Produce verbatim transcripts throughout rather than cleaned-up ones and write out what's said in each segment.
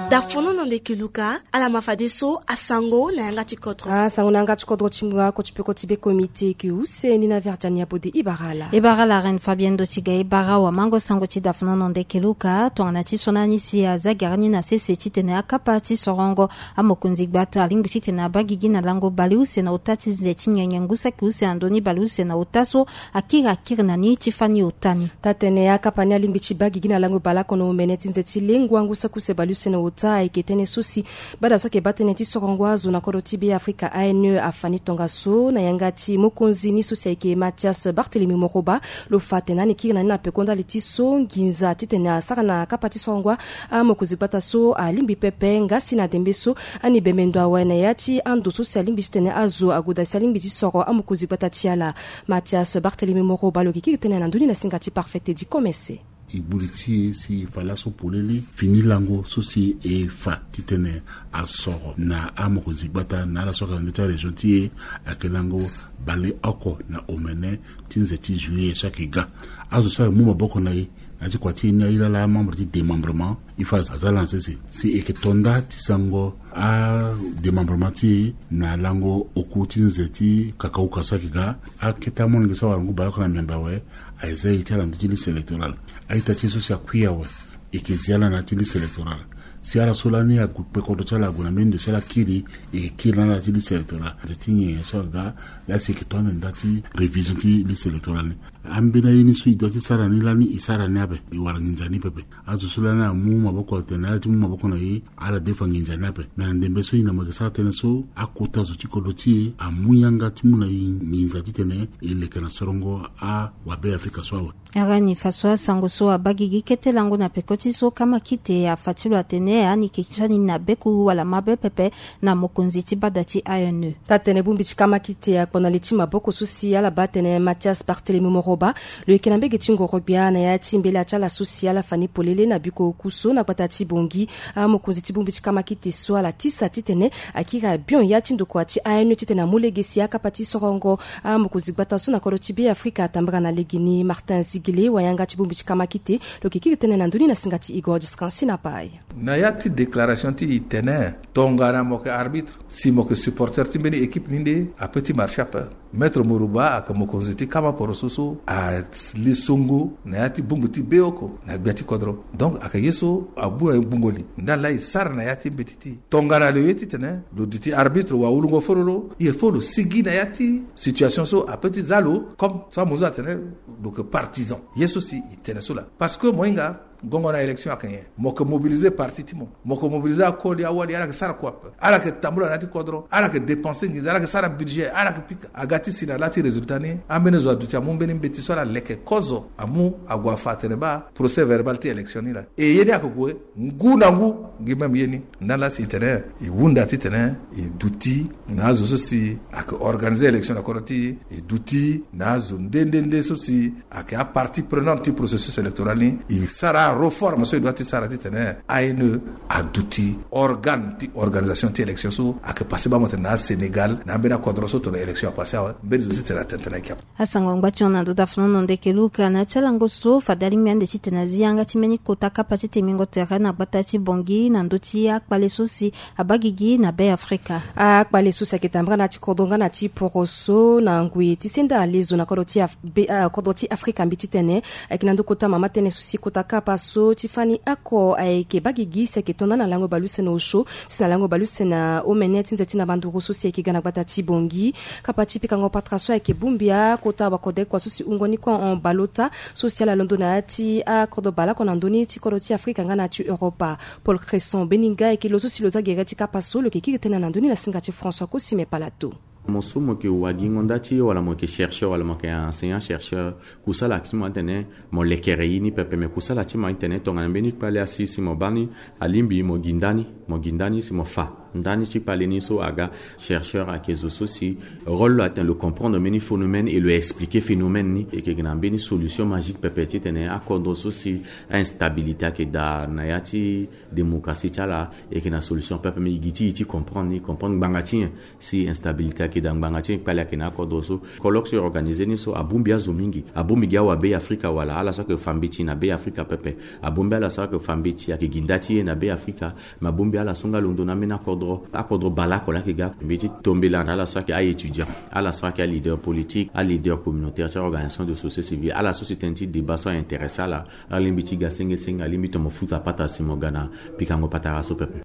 Dafono na ndeke luka. Ala ma fadeso asango na yanga ti kodro. Asango na yanga ti kodro ti ngbonga koti peko ti be komite yeke use ni na verdiani abode ibara ala. Ibara ala reine fabienne do ti ga ibara wamango sango ti dafono na ndeke luka tongana ti so na ni si aza gere ni na sese titene akapa ti sorongo amokonzi gbata alingbi titene abagigi na lango baleuse na ota ti nze ti nyenye ngu saki use na ndoni baleuse na ota so akiri akiri na ni ti fani ota ni. Tatene akapa ni alingbi ti bagigi na lango baleoko na omene ti nze ti lengua ngu saki use baleuse na ota ayeke tënë so si bada so ayeke baa tënë ti sorongo azo na kodro ti be afrika ane afani tongaso na yanga ti mokonzi ni so si ayeke mathias barthelemy moroba. Lo fa atene ani kiri na ni na peko ndali ti so nginza titene asara na kapa ti sorongo amokonzi gbata so alingbi pepe ngasi na dembe so ani bembe ndo awe na ya ti ando so si alingbi titene azo agoda si alingbi ti soro amokonzi gbata ti ala. Mathias barthelemy moroba lo yeke kiri tënë na ndoni na singa ti parfait tedi komese. E gbuli ti e si e fa laso polele fini lango so si e fa titene asoro na amokonzi gbata na ala so ayeke na ndö ti arégion ti e. Ayeke lango baleoko na omene ti nze ti juillet so ayeke ga. Azo so amu maboko na e na ya ti kua ti e ni aye laa amembre ti démembrement. E fa aza lansese si e yeke to nda ti sango adémembrement ti e na lango oku ti nze ti kakauka so ayeke ga. Akete amolenge so awara ngu baleoko na miambe awe. Aye za e ti ala na ndö ti liste électorale. A-ita ti e so si akui awe e yeke zi ala na ya ti liste électorale. Si ala so lani ague kpe kodro ti ala ague na mbeni ndo si ala kiri e yeke kiri na ala ti liste électorale. Nze ti nyen so aga laa si e yeke to ande nda ti révision ti liste électorale ni. Ambeni aye ni so e doit ti sara ni lani e sara ni ape. E wara nginza ni pepe. Azo so lani amu maboko atene ala ti mu maboko na e ala defa nginza ni ape. Me na ndembe so e na mo yeke sara tënë so akota zo ti kodro ti e amu yanga ti mu na e nginza titene e leke na sorongo awabe afrika so awe. Arani faso asango so abagigi kete lango na peko ti so kamakite afa ti lo atene ani ke ti fani na beku wala mabe pepe na mokonzi ti bada ti ane. Tatene bongbi ti kamakite akpo na li ti maboko so si ala baa tene mathias barthelemy moroba lo yeke na mbege ti ngoro-gbia na ya ti mbela ti ala so si ala fani polele na biko oku so na gbata ti bongi. Amokonzi ti bongbi ti kamakite so ala tisa titene akiri abion ya ti ndokua ti ane titene amu lege si akapa ti sorongo amokonzi gbata so na kodro ti be afrika atambara na legeni martin zigile wayanga ti bongbi ti kamakite. Lo yeke kiri tënë na ndoni na singa ti igor discansina pai. Na ya ti déclaration ti e tene tongana mo yeke arbitre si mo yeke supporter ti mbeni équipe ni nde ape ti marche ape. Maître moroba ayeke mokonzi ti kama poroso so ali songo na ya ti bongbi ti be oko na gbia ti kodro. Donc ayeke ye so abu aye gbungo li ndani laa e sara na ya ti mbeti ti e. Tongana lo ye titene lo duti arbitre wawulungo fololo il faut lo sigi na ya ti situation so ape ti za lo comme so amozo atene lo yeke partisan. Ye so si e tene so laa parce que mo hinga gongo na élection ayeke nyen? Mo yeke mobiliser parti ti mo. Mo yeke mobiliser akoli awali ala yeke sara kua ape. Ala yeke tambula na ya ti kodro ala yeke dépenser nginza ala yeke sara budget ala yeke pika aga ti si na la ti résultat ni. Ambeni zo aduti amu mbeni mbeti so ala leke kozo amu ague afa atene baa procès verbal ti élection ni laa. E ye ni ayeke gue ngu na ngu. Ngi même ye ni ndani laa si e tene e hunda titene e duti na azo so si ayeke organiser élection na kodro ti e e duti na azo nde nde nde so si ayeke apartie prenante ti processus électoral ni. E sara areforme so e doit ti sara titene ane aduti organe ti organisation ti élection so ayeke passe baa mo tene na asénégal na ambeni akodro so tongana élection apasse awe mbeni zo ti tene atene tene ayeke ape. Asango ngba ti hon na ndo dafono na ndeke luka na ya ti alango so fade alingbi ande titene azi yanga ti mbeni kota kapa ti temingo tere na gbata ti bongi na ndö ti akpale so si abagigi na be afrika. Akpale so si ayeke tambara na ya ti kodro nga na ti poroso na ngui ti senda alezo na kodro ti af- be- ah, kodro ti afrika mbi titene ayeke na ndö kota mama tënë so si kota kapa so ti fani oko ayeke bagigi si ayeke to nda na lango baleuse na osio si na lango baleuse na omene ti nze ti na banduru so si ayeke ga na gbata ti bongi. Kapa ti pikango patara so ayeke bongbi akota wakodekua so si wungo ni kua hon baleota so si ala londo na ya ti akodro baleoko na ndö ni ti kodro ti afrika nga na ya ti europa. Paul cresson beninga ayeke lo so si lo za gere ti kapa so lo yeke kiri tënë na ndö ni na singa ti françois kosime palato. Mo so mo yeke wagingo nda ti e wala mo yeke chercheur wala mo yeke enseignant chercheur kusala ti mo atene mo lekere ye ni pepe me kusala ti mo atene tongana mbeni kpale asi si mo baa ni alingbi mo gi nda ni mo gi nda ni si mo fa. Ndani ti kpale ni so aga chercheur ayeke zo so si rôle lo atene lo comprendre mbeni phénomène et lo expliquer phénomène ni, e yeke na mbeni solution magique pepe titene akodro so si a instabilité ayeke daa na ya ti démocratie ti ala, e yeke na solution pepe. Mais e gi ti e ti comprendre ni, comprendre ngbanga ti nyen si instabilité ayeke daa, ngbanga ti nyen kpale ayeke na akodro so. Colloque so e organiser ni so abongbi azo mingi, abongbi gi awa Be Afrika wala ala so ayeke fa mbeti na Be Afrika pepe, abongbi ala so ayeke fa mbeti ayeke gi nda ti e na Be Afrika. Mais abongbi ala so nga londo na ambeni akodro, akodro baleoko laa ayeke ga. Mbi ti tombela na ala so ayeke a-étudiant, ala so ayeke aleader politique, aleader communautaire ti organisation de société civile, ala so si tënë ti débat so a-intéressé ala, alingbi ti ga sengesenge, alingbi ti mo futa pata si mo ga na pikango patara so pepe.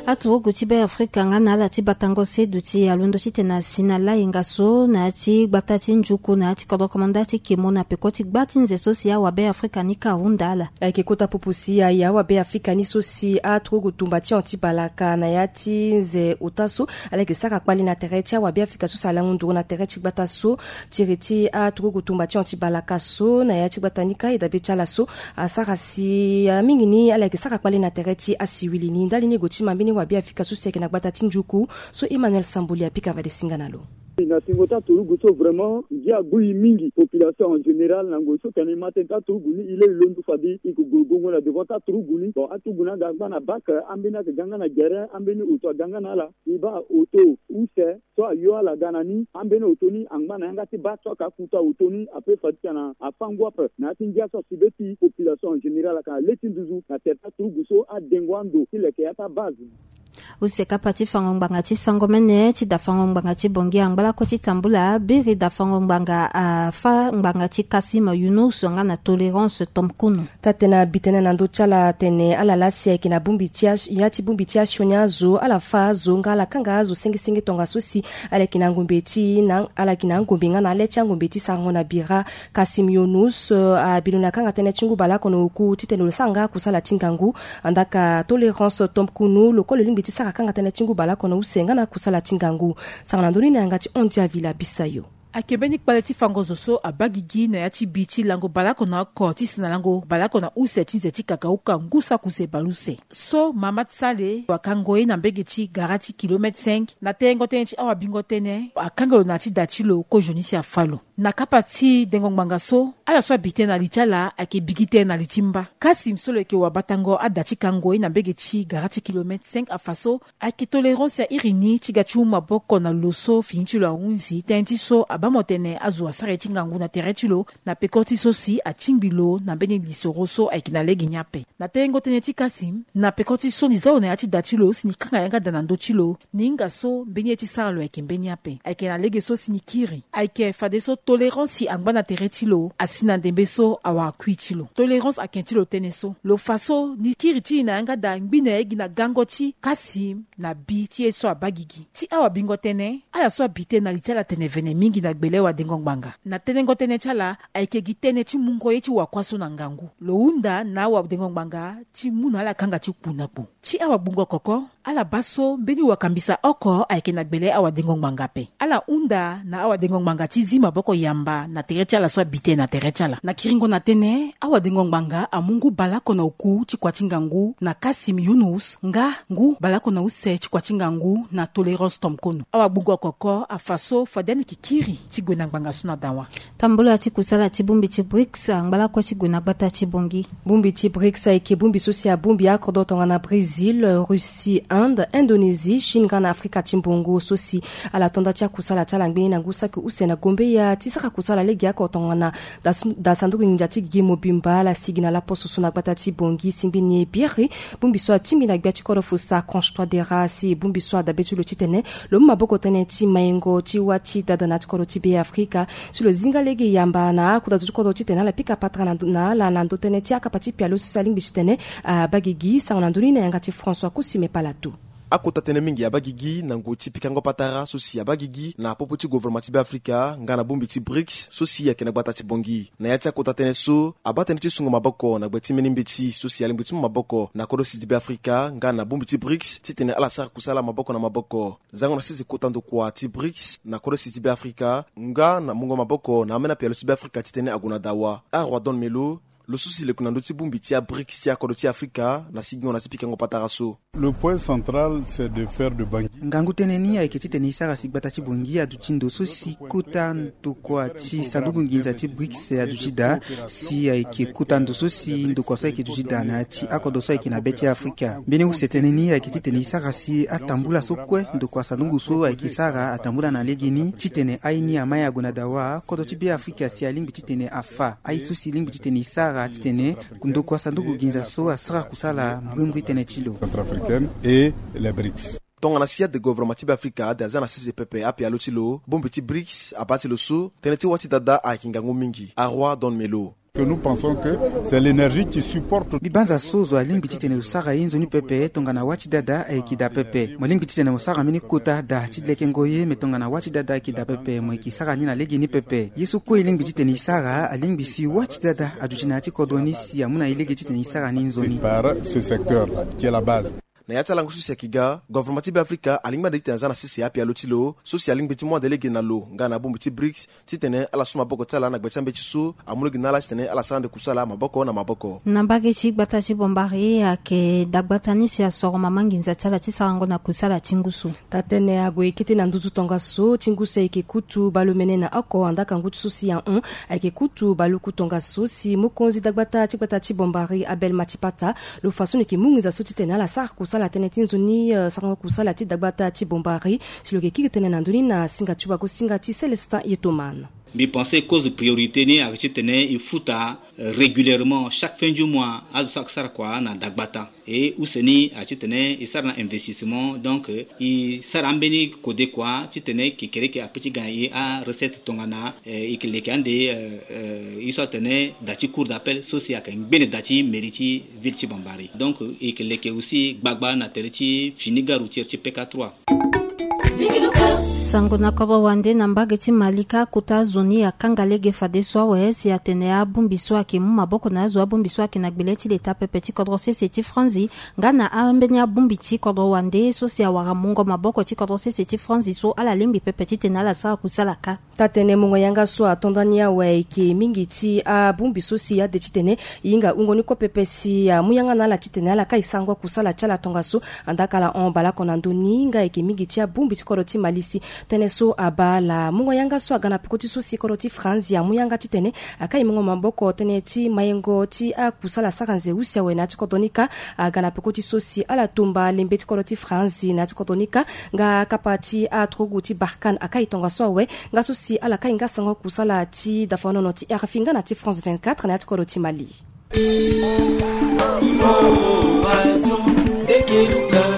Aturugu ti Be Afrika nga na ala ti batango se duti alondo titene asi na layenga so na ya ti gbata ti njuku na ya ti kodro komanda ti kemo na peko ti gba ti nze so si awa Be Afrika ni ka ahunda ala. Ayeke kota popo si aye awa Be Afrika ni so si aturugu tumba ti hon ti balaka na ya ti nze ota so ala yeke sara kpale na tere ti awa Be Afrika so si alango nduru na tere ti gbata so. Tiri ti aturugu tumba ti hon ti balaka so na ya ti gbata ni ka e dabe ti ala so asara si, ah, mingi ni ala yeke sara kpale na tere ti asiwili ni ndali ni e gue ti ma mbeni wa Be Afrika so si ayeke na gbata ti njuku so Emmanuel Samboli apika fade singa na lo. Na tingo ti aturugu so vraiment ngia agbu e mingi, population en général na ngoi so tene e ma tënë ti aturugu ni e le e londo fade e ke gue gongo na devant ti aturugu ni. Bon, aturugu ni aga agba na bak, ambeni ayeke ga nga na gere, ambeni oto aga nga na ala. E baa oto use so ayo ala ga na ni, ambeni oto ni angba na yanga ti baa so aka kuta oto ni ape fa ti tena afa ngu ape na ya ti ngia so asi be ti population en général ayeke na le ti nduzu na tere ti aturugu so adengo ando ti leke ya ti abase. Use kapa ti fango ngbanga ti sango mene ti dafango ngbanga ti Bongi angba lakue ti tambula biri dafango ngbanga afa ngbanga ti Kassim Younouss nga na Tolérance Tomkunu. Taa-tënë abi tënë na ndö ti ala atene ala laa si ayeke na bongbi ti as-, ya ti bongbi ti asioni azo, ala fa azo nga ala kanga azo sengesenge tongaso si ala yeke na ngombe ti na, ala yeke na angombe nga na ale ti angombe ti sarango na bira. Kassim Younouss, euh, abi lo na kanga tënë ti ngu baleoko na oku titene lo sara nga akusala ti ngangu. Andaka Tolérance Tomkunu lo kue lo lingbi ti sara kanga tënë ti ngu baleoko na use nga na akusala ti ngangu. Sara na ndö ni na yanga ti Ondia Villa Bisayo. Ayeke mbeni kpale ti fango zo so abaa gigi na ya ti bi ti lango baleoko na oko ti si na lango baleoko na use ti nze ti kakauka ngu saki use baleuse. So Mahamat Saleh akango ye na mbege ti gara ti kilomètre cinq na tengo tënë ti awabingo tënë, akanga lo na ya ti da ti lo kozoni si afa lo. Na kapa ti dengo ngbanga so, ala so abi tënë na li ti ala ayeke bigi tënë na li ti mba. Kassim so lo yeke wabatango ada ti kango ye na mbege ti gara ti kilomètre cinq afa so, ayeke Tolérance ya iri ni ti ga ti mu maboko na lo so fini ti lo ahunzi tënë ti so abaa mo tene azo asara ye ti ngangu na tere ti lo, na peko ti so si atingbi lo na mbeni lisoro so ayeke na lege ni ape. Na tengo tënë ti Kassim, na peko ti so ni za lo na ya ti da ti lo si ni kanga yanga da na ndö ti lo, ni hinga so mbeni ye ti sara lo ayeke mbeni ape. Ayeke na lege so si ni kiri. Ayeke fadeso Tolérance si angba na tere ti lo asi na ndembe so awara kui ti lo. Tolérance ayeke ti lo tënë so. Lo fa so ni kiri ti e na yanga da ngbi na ye gi na gango ti Kassim na bi ti ye so abaa gigi. Ti awabingo tënë, ala so abi tënë na li ti ala tene vene mingi na gbele wadengo ngbanga. Na tenengo tënë ti ala ayeke gi tënë ti mungo ye ti wakuâ so na ngangu. Lo hunda na awadengo ngbanga ti mu na ala kanga ti kpu na kpu. Ti awagbungo koko, ala baa so mbeni wakambisa oko ayeke na gbele awadengo ngbanga ape. Ala hunda na awadengo ngbanga ti zi maboko yamba na tere ti ala so abi tënë na tere ti ala. Na kiringo na tënë, awadengo ngbanga amu ngu baleoko na oku ti kua ti ngangu na Kassim Younouss nga ngu baleoko na use ti kua ti ngangu na Tolérance Tomkunu. Awagbungo koko afa so fade ani yeke kiri ti gue na ngbanga so na dawa. Tambula ti kusala ti bongbi ti brics angba lakue ti gue na gbata ti Bongi. Bongbi ti brics ayeke bongbi so si abongbi akodro tongana Brésil, Russie, Inde, Indonésie, Chine nga na Afrika ti mbongo so si ala to nda ti akusala ti ala ngbeni na ngu saki use na gombeya ti sara kusala lege oko tongana da, da sanduku nginza ti gigi mobimba ala sigi na laposo so na gbata ti Bongi si ngbeni e biri. Bongbi so atingbi na gbia ti kodro Faustin Archange Touadéra si bongbi so adabe ti lo titene lo mu maboko tënë ti maingo ti wâ ti dada na ya ti kodro ti Be Afrika. Si lo zi nga lege yamba na akota zo ti kodro titene ala pika patara na ndo, na ala na ndo tënë ti akapa ti pialo so si alingbi titene abaa gigi. Sara na ndö ni na yanga ti François Kusime Palatu. Akota tënë mingi abaa gigi na ngoi ti pikango patara so si abaa gigi na popo ti gouvernement ti Be Afrika nga na bongbi ti brics so si ayeke na gbata ti Bongi. Na ya ti akota tënë so, abaa tënë ti sungo maboko na gbe ti mbeni mbeti so si alingbi ti mu maboko na kodro si ti Be Afrika nga na bongbi ti brics titene ala sara kusala maboko na maboko. Zango na sese kota ndokua ti brics na kodro si ti Be Afrika nga na mungo maboko na ambeni apialo ti Be Afrika titene ague na dawa. Arwa Don Melo, Lo so si lo yeke na ndö ti bongbi ti abrics ti akodro ti Afrika na sigingo na ti pikango patara so. Le point central, c'est de faire de Bangui. Ngangu tënë ni ayeke titene e sara si gbata ti Bangui aduti ndo so si kota ndokua ti sanduku nginza ti brics aduti daa, si ayeke kota ndo so si ndokua so ayeke duti daa na ya ti akodro so ayeke na be ti Afrika. Mbeni use tënë ni ayeke titene e sara si atambula so kue ndokua sanduku so ayeke sara atambula na legeni titene aye ni ama ye ague na dawa kodro ti be Afrika si alingbi titene afa aye so si e lingbi titene e sara titene ndokua sanduku nginza so asara kusala mbrimbri tënë ti lo. Centrafricaine et les brics. Tongana sia de gouvernement ti be Afrika ade aza na sese pepe apialo ti lo, bongbi ti brics abaa ti lo so tënë ti wâ ti dada ayeke ngangu mingi. Aroi Don Melo. Que nous pensons que c'est l'énergie qui supporte. Mbi banza so zo alingbi titene lo sara ye nzoni pepe tongana wâ ti dada ayeke daa pepe. Mo lingbi titene mo sara mbeni kota daa ti lekengo ye, me tongana wâ ti dada ayeke daa pepe mo yeke sara ni na legeni pepe. Ye so kue e lingbi titene e sara alingbi si wâ ti dada aduti na ya ti kodro ni si amu na e lege titene e sara ni nzoni. Par ce secteur-là, qui est la base. Na ya ti alango so si ayeke ga, gouvernement ti be Afrika alingbi ande titene aza na sese apialo ti lo so si alingbi ti mu ande lege na lo nga na bongbi ti brics titene ala su maboko ti ala na gbe ti ambeti so amu lege na ala titene ala sara ande kusala maboko na maboko. Na mbage ti gbata ti Bombari ayeke dagbata ni si asoro mama nginza ti ala ti sarango na kusala ti ngu so. Taa-tënë ague kete na nduzu tongaso ti ngu so ayeke kutu baleomene na oko andaa kangu ti so si ahon ayeke kutu baluku tongaso si mokonzi dagbata ti gbata ti Bombari Abel Matipata lo fa so ni yeke mu nginza so titene ala sara kusala tënë ti nzoni, eh, sarango kusala ti dagbata ti Bombari. Si lo yeke kiri tënë na ndö ni na singa ti wagosinga ti Célestin Yetoman. Mbi pense cause priorité ni ayeke titene e futa, eh, régulièrement chaque fin du mois azo so ayeke sara kua na dagbata. E use ni ayeke titene e sara na investissement, donc, eh, e sara ambeni kode kua titene kekereke ape ti ga na e arecette tongana, eh, e yeke leke ande, eh, eh, ye so atene da ti cour d'appel so si ayeke ngbene da ti mairie ti ville ti Bombari. Donc e yeke leke aussi gbagba na tere ti fini gare routière ti P K trois. Sango na kodro wande na mbage ti Malika, kota zo ni akanga lege fadeso awe si atene abongbi so ayeke mu maboko na azo abongbi so ayeke na gbele ti leta pepe ti kodro sese ti Franzi nga na ambeni abongbi ti kodro wande so si awara mungo maboko ti kodro sese ti Franzi so ala lingbi pepe titene ala sara kusala kâ. Taa-tënë mungo yanga so ato ndani awe ayeke mingi ti abongbi so si ade titene e hinga wungo ni kue pepe si amu yanga na ala titene ala kai sarango kusala ti ala tongaso. Andaa ka ala hon baleoko na ndö ni nga ayeke mingi ti abongbi ti kodro ti Mali si tënë so abaa ala. Mungo yanga so aga na peko ti so si kodro ti Franzi amu yanga titene akai mungo maboko tënë ti mayengo ti akusala sara nze use awe na ya ti kodro ni kâ. Aga na peko ti so si ala tumba lembe ti kodro ti Franzi na ya ti kodro ni kâ. Nga kapa ti aturugu ti Barkhane akai tongaso awe. Nga so si ala kai nga sango kusala ti dafanono ti R F I nga na ti France vingt-quatre na ya ti kodro ti Mali.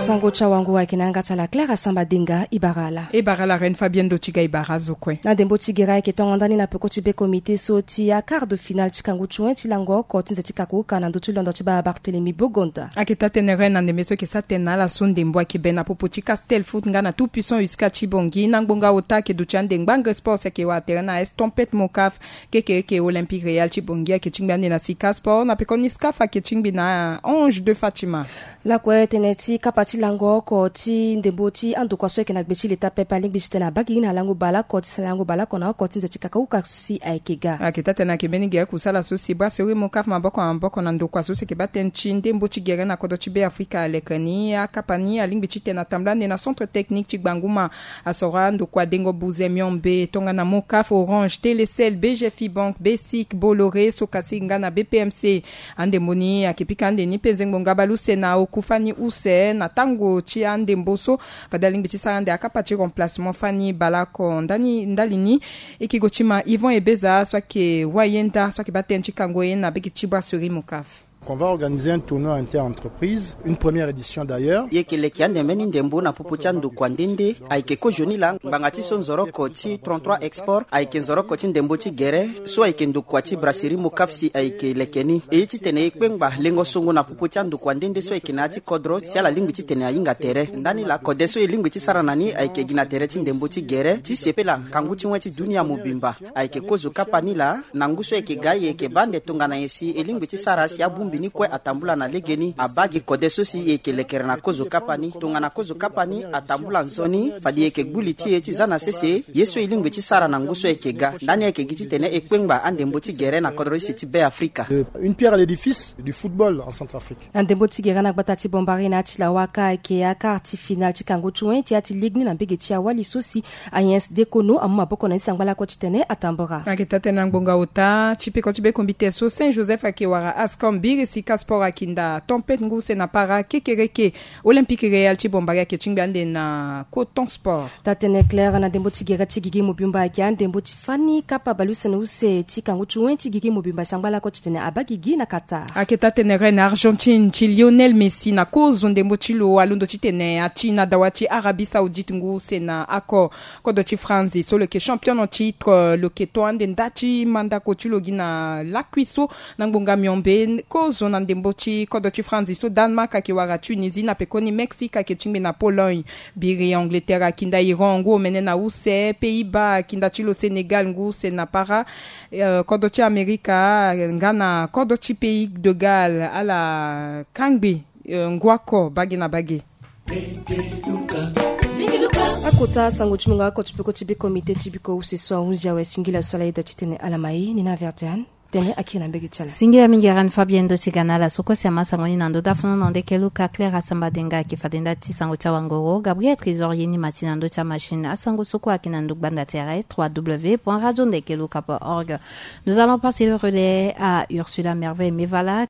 Sango ti awango ayeke na yanga ti ala Claire Asamba Denga. E bara ala. E bara ala Reine Fabienne Dotiga, e bara azo kue. Na ndembo ti gere ayeke tongo ndani na peko ti be comité so ti aquart de finale ti kangu ti wen ti lango oko ti nze ti kakuka na ndö ti londo ti baa Barthélemy Bogonda. Ayeke taa-tënë Reine na ndembe so ayeke sara tënë na ala so ndembo ayeke be na popo ti Castel Foot nga na Tout Puissant Usca ti Bangui na ngbonga ota ayeke duti ande ngbangre sport si ayeke wara tere na Estompette Mocaf. Kekereke Olympique Real ti Bangui ayeke tingbi ande na Sika Sport na pekoni Scaf ayeke tingbi na Ange de Fatima. Lakue tënë ti kapa ti lango oko ti ndembo ti andokua so ayeke na gbe ti leta pepe alingbi titene abaa gigi na lango baleoko ti sara lango baleoko na oko ti nze ti kakauka so si ayeke ga. Ayeke taa-tënë ayeke mbeni gere kusala so si brasserie Mocaf maboko na maboko na ndokua so si ayeke baa tënë ti ndembo ti gere na kodro ti Be Afrika aleke ni akapa ni alingbi titene atambula ande na centre technique ti Gbanguma. Asoro andokua dengo buze miombe tongana Mocaf, Orange, Telecel, B G Fibank, Besic, Bolloré, Socasig nga na B P M C. Andembo ni ayeke pika ande ni mpe nzengbo ngaba luse na oku fani use na tango ti andembo so. Fade alingbi ti sara ande akapa ti remplacement fani baleoko ndani ndali ni. E yeke gue ti ma Yvon Ebeza so ayeke wayenda so ayeke baa tënë ti kango ye na bege ti brasserie Mocaf. Qu'on va organiser un tournoi inter-entreprise, une première édition d'ailleurs. E yeke leke ande mbeni ndembo na popo ti andokua nde nde. Ayeke kozoni laa ngbanga ti so nzoroko ti trente-trois Export ayeke nzoroko ti ndembo ti gere so ayeke ndokua ti brasserie Mocaf si ayeke leke ni. E ye titene e kpengba lengo songo na popo ti andokua nde nde so ayeke na ya ti kodro si ala lingbi titene ahinga tere. Ndani laa kode so e lingbi ti sara na ni ayeke gi na tere ti ndembo ti gere ti sepela ngangu ti wen ti dunia mobimba. Ayeke kozo kapa ni laa na ngu so e yeke ga e yeke baa ande tongana nyen si e lingbi ti sara si abongbi Ni kue atambula na legeni abaa gi kode so si e yeke lekere na kozo kapa ni. Tongana kozo kapa ni atambula nzoni, fade e yeke gbu li ti e ti za na sese ye so e lingbi ti sara na ngu so e yeke ga. Ndani ayeke gi titene e kpengba andembo ti gere na kodro use ti Be Afrika. Une pierre à l'édifice du football en Centrafrique. Andembo ti gere na gbata ti Bombari na ya ti lawa ka ayeke ya quart ti finale ti kangu ti wen ti ya ti ligue ni na mbege ti awali so si Agnès Dekono amu maboko na ni sangba lakue titene atambora. Ayeke taa-tënë na ngbonga ota ti peko ti be kombite so Saint Joseph ayeke wara Ascom, Birisi Casport akinda Tempête ngu use na para, Kekereke Olympique Real ti Bombari ayeke tingbi ande na Coton Sport. Taa-tënë Claire na ndembo ti gere ti gigi mobimba ayeke andembo ti fani kapa baleuse na use ti kangu ti wen ti gigi mobimba sangba lakue titene abaa gigi na Qatar. Ayeke taa-tënë reine Argentine ti Lionel Messi na kozo ndembo ti lo alondo titene ati na dawa ti Arabie Saoudite ngu use na ako. Kodro ti France so lo yeke champion en titre lo yeke to ande nda ti mandako ti lo gi na lakui so na ngbonga miombe. Kozo na ndembo ti kodro ti France so Danemark ayeke wara Tunisie, na pekoni Mexique ayeke tingbi na Pologne. Biri Angleterre akinda Iran ngu omene na use, Pays-Bas akinda ti lo Sénégal ngu use na para. Eh, kodro ti Amerika nga na kodro ti Pays de Galles ala kangbi, eh, ngu oko bage na bage. Akota sango ti mungo oko ti peko ti be komite ti biko use so ahunzi awe singila so ala yeda titene ala ma e ni na Verdiane. Tënë akiri na mbege ti ala. Singila mingi Reine Fabienne ndo ti ga na ala so kue si ama sango ni na ndö dafunu na nde keluka Claire Asamba Denga ayeke fade nda ti sango ti awangoro, Gabriel Trésor ye ni ma ti na ndö ti amachine. Asango so kue ayeke na ndö gbanda tere trois W point radio nde keluka point org. Nous allons passer le relais à Ursula Merveille Mevala.